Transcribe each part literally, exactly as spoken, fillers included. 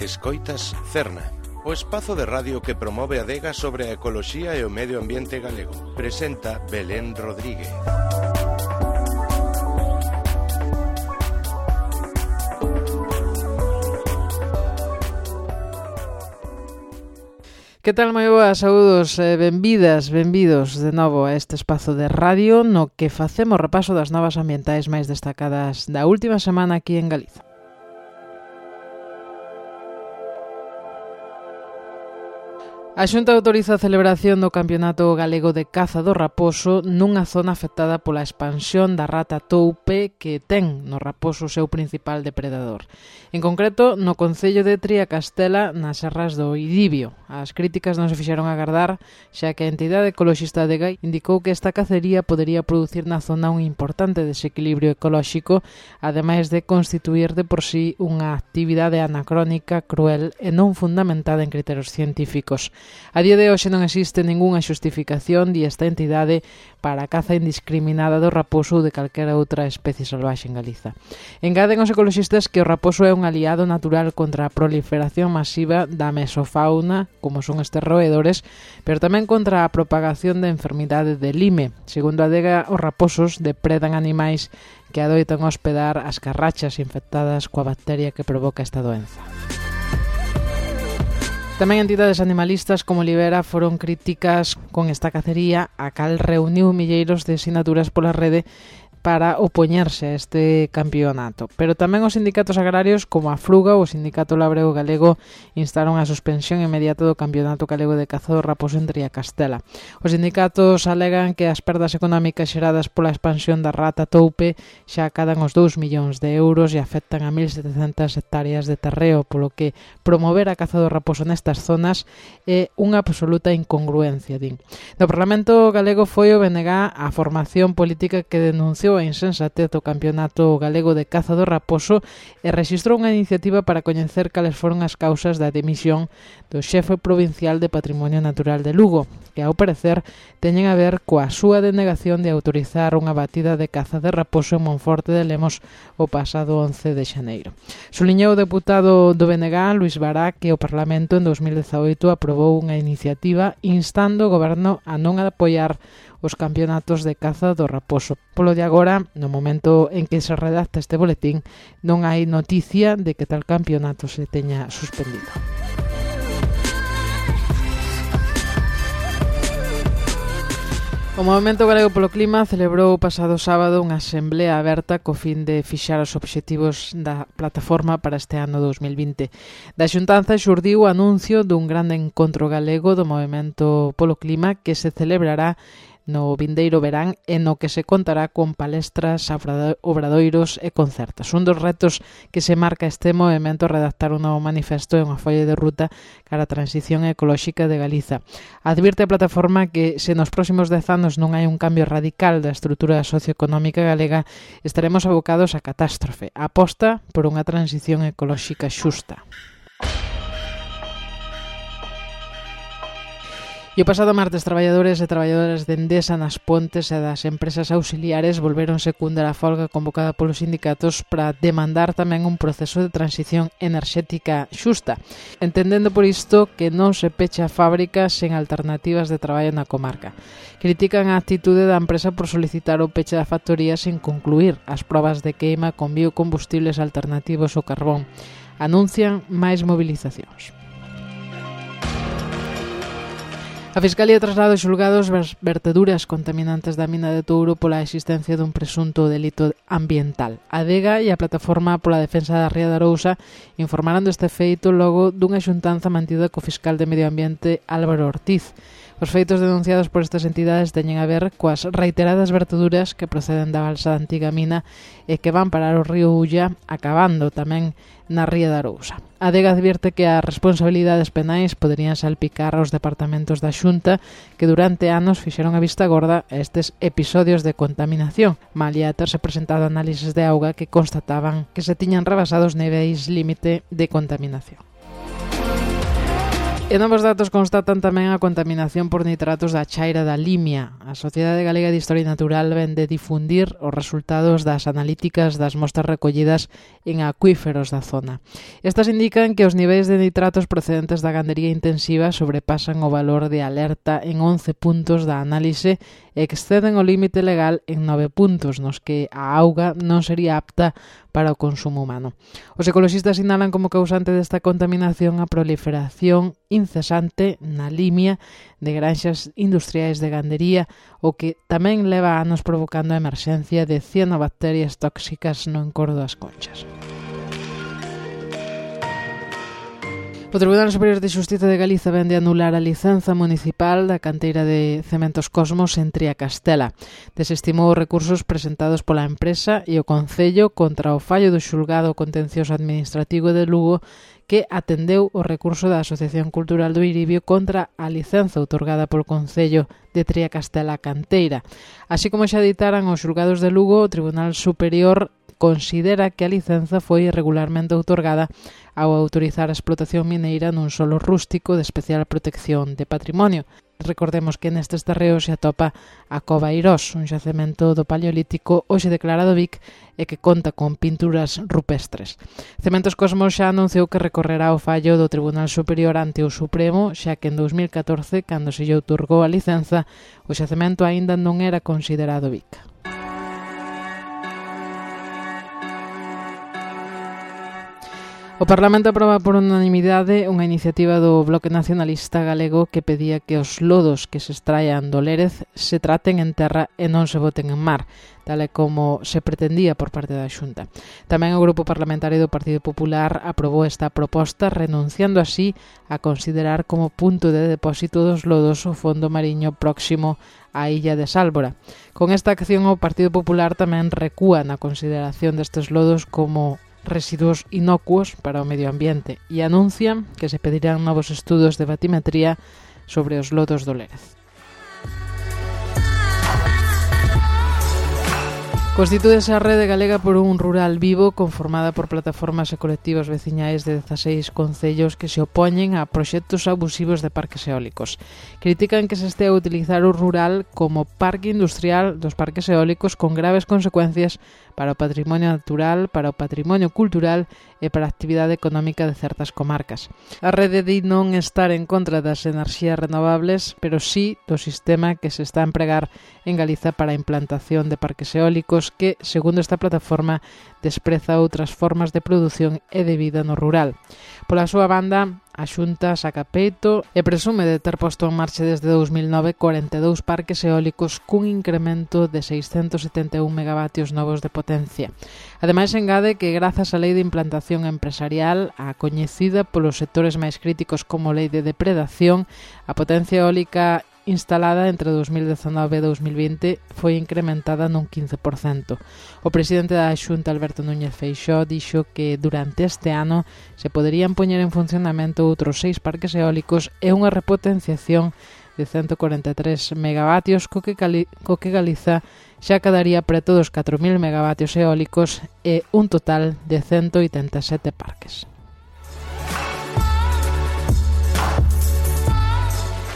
Escoitas Cerna, o espazo de radio que promove a adega sobre a ecoloxía e o medio ambiente galego. Presenta Belén Rodríguez. Que tal, moi boas, saúdos, eh, benvidas, benvidos de novo a este espazo de radio no que facemos repaso das novas ambientais máis destacadas da última semana aquí en Galiza. A Xunta autoriza a celebración do Campeonato Galego de Caza do Raposo nunha zona afectada pola expansión da rata toupe que ten no raposo o seu principal depredador. En concreto, no concello de Triacastela, nas serras do Idibio. As críticas non se fixeron agardar, xa que a entidade ecoloxista de Gai indicou que esta cacería podería producir na zona un importante desequilibrio ecolóxico, ademais de constituir de por sí unha actividade anacrónica, cruel e non fundamentada en criterios científicos. A día de hoxe non existe ningunha xustificación di esta entidade para a caza indiscriminada do raposo ou de calquera outra especie salvaxe en Galiza. Engaden os ecoloxistas que o raposo é un aliado natural contra a proliferación masiva da mesofauna, como son estes roedores, pero tamén contra a propagación da enfermidade de Lyme. Segundo a adega, os raposos depredan animais que adoitan hospedar as carrachas infectadas coa bacteria que provoca esta doenza. Tamén entidades animalistas como Libera foron críticas con esta cacería, a cal reuniu milleiros de sinaturas pola rede para opoñerse a este campeonato. Pero tamén os sindicatos agrarios como a Fruga ou o Sindicato Labrego Galego instaron a suspensión inmediata do Campeonato Galego de Caza do Raposo en Triacastela. Os sindicatos alegan que as perdas económicas xeradas pola expansión da rata toupe xa acadan os dous millóns de euros e afectan a mil setecentas hectáreas de terreo, polo que promover a caza do raposo nestas zonas é unha absoluta incongruencia, din. No Parlamento Galego foi o B N G a formación política que denunciou a insensatez do Campeonato Galego de Caza do Raposo e rexistrou unha iniciativa para coñecer cales foron as causas da dimisión do xefe provincial de Patrimonio Natural de Lugo, que ao parecer teñen a ver coa súa denegación de autorizar unha batida de caza de raposo en Monforte de Lemos o pasado once de xaneiro. Suliñou o deputado do B N G, Luís Bará, que o Parlamento en dos mil dezaoito aprobou unha iniciativa instando o goberno a non apoiar os campeonatos de caza do raposo. Polo de agora, no momento en que se redacta este boletín, non hai noticia de que tal campeonato se teña suspendido. O Movemento Galego polo Clima celebrou o pasado sábado unha asemblea aberta co fin de fixar os obxectivos da plataforma para este ano dos mil vinte. Da xuntanza xurdiu o anuncio dun grande encontro galego do Movemento polo Clima que se celebrará no vindeiro verán e no que se contará con palestras, obradoiros e concertos. Un dos retos que se marca este movimento é redactar un novo manifesto e unha folla de ruta cara a transición ecolóxica de Galiza. Advirte a plataforma que se nos próximos dez anos non hai un cambio radical da estrutura socioeconómica galega, estaremos abocados a catástrofe. Aposta por unha transición ecolóxica xusta. E o pasado martes, traballadores e traballadoras de Endesa nas Pontes e das empresas auxiliares volveron secundar a folga convocada polos sindicatos para demandar tamén un proceso de transición enerxética xusta, entendendo por isto que non se pecha a fábrica sen alternativas de traballo na comarca. Critican a actitude da empresa por solicitar o peche da factoría sen concluir as probas de queima con biocombustibles alternativos ao carbón. Anuncian máis movilizacións. A Fiscalía traslada aos xulgados verteduras contaminantes da mina de Touro pola existencia dun presunto delito ambiental. A Adega e a Plataforma pola Defensa da Ría de Arousa informaron deste feito logo dunha xuntanza mantida co fiscal de Medio Ambiente Álvaro Ortiz. Os feitos denunciados por estas entidades teñen a ver coas reiteradas verteduras que proceden da balsa da antiga mina e que van parar o río Ulla, acabando tamén na Ría de Arousa. A Adega advierte que as responsabilidades penais poderían salpicar aos departamentos da Xunta que durante anos fixeron a vista gorda a estes episodios de contaminación, malia terse presentado análises de auga que constataban que se tiñan rebasado os niveis límite de contaminación. E novos datos constatan tamén a contaminación por nitratos da chaira da Limia. A Sociedade Galega de Historia Natural ven de difundir os resultados das analíticas das mostras recollidas en acuíferos da zona. Estas indican que os niveis de nitratos procedentes da gandería intensiva sobrepasan o valor de alerta en once puntos da análise e exceden o límite legal en nove puntos, nos que a auga non sería apta para o consumo humano. Os ecoloxistas sinalan como causante desta contaminación a proliferación incesante na Limia de granxas industriais de gandería, o que tamén leva anos provocando a emerxencia de cianobacterias tóxicas no encordo das Conchas. O Tribunal Superior de Xustiza de Galiza vén de anular a licenza municipal da canteira de Cementos Cosmos en Triacastela. Desestimou os recursos presentados pola empresa e o Concello contra o fallo do Xulgado Contencioso Administrativo de Lugo, que atendeu o recurso da Asociación Cultural do Iribio contra a licenza outorgada polo Concello de Triacastela Canteira. Así como xa ditaran os xulgados de Lugo, o Tribunal Superior considera que a licenza foi irregularmente outorgada ao autorizar a explotación mineira nun solo rústico de especial protección de patrimonio. Recordemos que nestes terreos se atopa a Cova Eirós, un xacemento do Paleolítico hoxe declarado Vic e que conta con pinturas rupestres. Cementos Cosmos xa anunciou que recorrerá o fallo do Tribunal Superior ante o Supremo, xa que en dous mil catorce, cando se lle outorgou a licenza, o xacemento aínda non era considerado Vic. O Parlamento aproba por unanimidade unha iniciativa do Bloque Nacionalista Galego que pedía que os lodos que se extraian do Lérez se traten en terra e non se boten en mar, tal e como se pretendía por parte da Xunta. Tamén o Grupo Parlamentario do Partido Popular aprobou esta proposta, renunciando así a considerar como punto de depósito dos lodos o fondo mariño próximo á illa de Sálvora. Con esta acción o Partido Popular tamén recúa na consideración destes lodos como residuos inocuos para o medio ambiente e anuncian que se pedirán novos estudos de batimetría sobre os lodos do Lérez. Constitúese a Rede Galega por un Rural Vivo conformada por plataformas e colectivos veciñais de dezaseis concellos que se opoñen a proxectos abusivos de parques eólicos. Critican que se estea a utilizar o rural como parque industrial dos parques eólicos con graves consecuencias para o patrimonio natural, para o patrimonio cultural e para a actividade económica de certas comarcas. A rede di non estar en contra das enerxías renovables, pero sí do sistema que se está a empregar en Galiza para a implantación de parques eólicos que, segundo esta plataforma, despreza outras formas de produción e de vida no rural. Pola súa banda, a Xunta saca peito e presume de ter posto en marcha desde dous mil nove corenta e dous parques eólicos cun incremento de seiscentos setenta e un megavatios novos de potencia. Ademais, engade que grazas á Lei de Implantación Empresarial, a coñecida polos sectores máis críticos como Lei de Depredación, a potencia eólica instalada entre dous mil dezanove e dous mil vinte foi incrementada nun quince por cento. O presidente da Xunta, Alberto Núñez Feixóo, dixo que durante este ano se poderían poñer en funcionamento outros seis parques eólicos e unha repotenciación de ciento corenta e tres megavatios, co que, Cali, co que Galiza xa quedaría preto dos catro mil megavatios eólicos e un total de ciento oitenta e sete parques.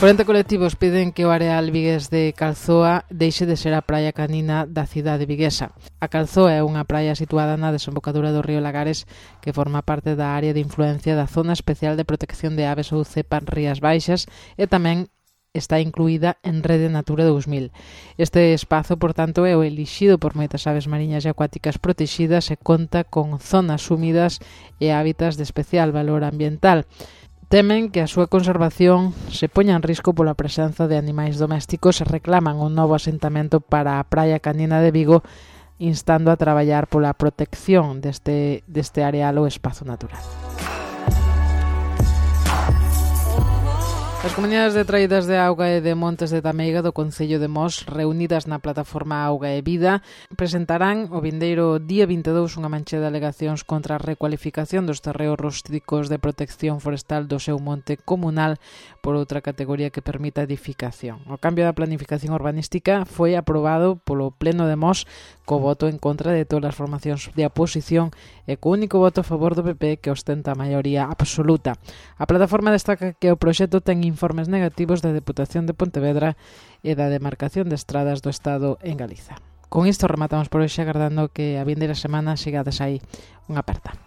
corenta colectivos piden que o areal vigués de Calzoa deixe de ser a praia canina da cidade viguesa. A Calzoa é unha praia situada na desembocadura do río Lagares que forma parte da área de influencia da Zona Especial de Protección de Aves ou ZEPA Rías Baixas e tamén está incluída en Rede Natura dous mil. Este espazo, por tanto, é o elixido por moitas aves mariñas e acuáticas protegidas e conta con zonas húmidas e hábitats de especial valor ambiental. Temen que a súa conservación se poña en risco pola presenza de animais domésticos e reclaman un novo asentamento para a praia canina de Vigo, instando a traballar pola protección deste, deste areal ou espazo natural. As comunidades de traídas de auga e de Montes de Tameiga do Concello de Mos, reunidas na plataforma Auga e Vida, presentarán o vindeiro día vinte e dous unha mancha de alegacións contra a recualificación dos terreos rústicos de protección forestal do seu monte comunal por outra categoría que permita edificación. O cambio da planificación urbanística foi aprobado polo Pleno de Mos co voto en contra de todas as formacións de oposición e co único voto a favor do P P que ostenta a maioría absoluta. A plataforma destaca que o proxecto ten informes negativos da Deputación de Pontevedra e da demarcación de estradas do Estado en Galiza. Con isto rematamos por hoxe, agardando que a vindeira semana sigades aí unha aperta.